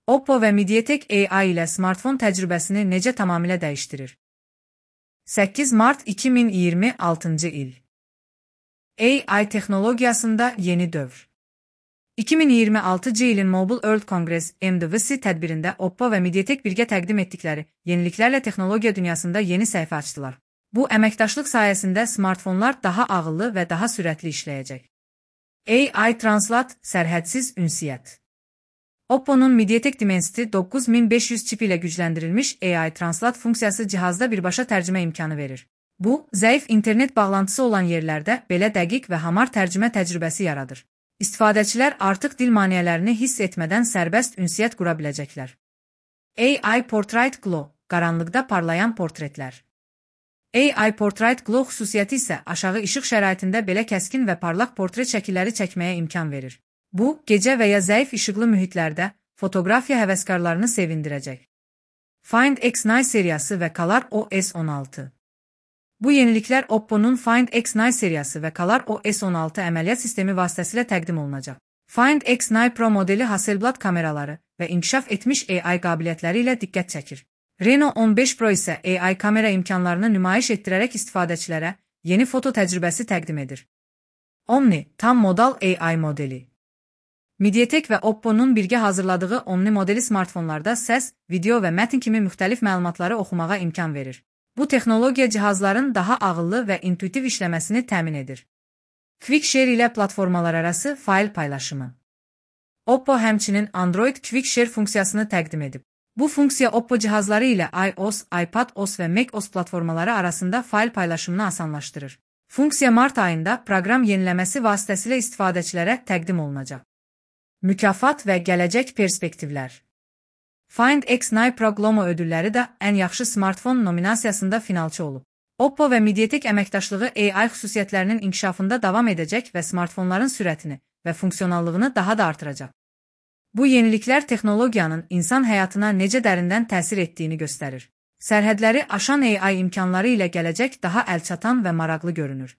Oppo və MediaTek AI ilə smartfon təcrübəsini necə tamamilə dəyişdirir? 8 mart 2026-cı il. AI texnologiyasında yeni dövr. 2026-cı ilin Mobile World Congress (MWC) tədbirində Oppo və MediaTek birgə təqdim etdikləri yeniliklərlə texnologiya dünyasında yeni səhifə açdılar. Bu, əməkdaşlıq sayəsində smartfonlar daha ağıllı və daha sürətli işləyəcək. AI Translate sərhədsiz ünsiyyət. Oppo'nun MediaTek Dimensity 9500 çipi ilə gücləndirilmiş AI Translate funksiyası cihazda birbaşa tərcümə imkanı verir. Bu, zəif internet bağlantısı olan yerlərdə belə dəqiq və hamar tərcümə təcrübəsi yaradır. İstifadəçilər artıq dil maneələrini hiss etmədən sərbəst ünsiyyət qura biləcəklər. AI Portrait Glow, qaranlıqda parlayan portretlər. AI Portrait Glow xüsusiyyəti isə aşağı işıq şəraitində belə kəskin və parlaq portret şəkilləri çəkməyə imkan verir. Bu, gecə və ya zəif işıqlı mühitlərdə fotoqrafiya həvəskarlarını sevindirəcək. Find X9 seriyası və Color OS 16. Bu yeniliklər Oppo'nun Find X9 seriyası və Color OS 16 əməliyyat sistemi vasitəsilə təqdim olunacaq. Find X9 Pro modeli Hasselblad kameraları və inkişaf etmiş AI qabiliyyətləri ilə diqqət çəkir. Reno 15 Pro isə AI kamera imkanlarını nümayiş etdirərək istifadəçilərə yeni foto təcrübəsi təqdim edir. Omni, tam modal AI modeli. MediaTek və Oppo'nun birgə hazırladığı Omni modeli smartfonlarda səs, video və mətn kimi müxtəlif məlumatları oxumağa imkan verir. Bu texnologiya cihazların daha ağıllı və intuitiv işləməsini təmin edir. QuickShare ilə platformalar arası fayl paylaşımı. Oppo həmçinin Android QuickShare funksiyasını təqdim edib. Bu funksiya Oppo cihazları ilə iOS, iPadOS və macOS platformaları arasında fayl paylaşımını asanlaşdırır. Funksiya mart ayında proqram yeniləməsi vasitəsilə istifadəçilərə təqdim olunacaq. Mükafat və gələcək perspektivlər. Find X9 Pro Glomo ödülləri də ən yaxşı smartfon nominasiyasında finalçı olub. Oppo və MediaTek əməkdaşlığı AI xüsusiyyətlərinin inkişafında davam edəcək və smartfonların sürətini və funksionallığını daha da artıracaq. Bu yeniliklər texnologiyanın insan həyatına necə dərindən təsir etdiyini göstərir. Sərhədləri aşan AI imkanları ilə gələcək daha əlçatan və maraqlı görünür.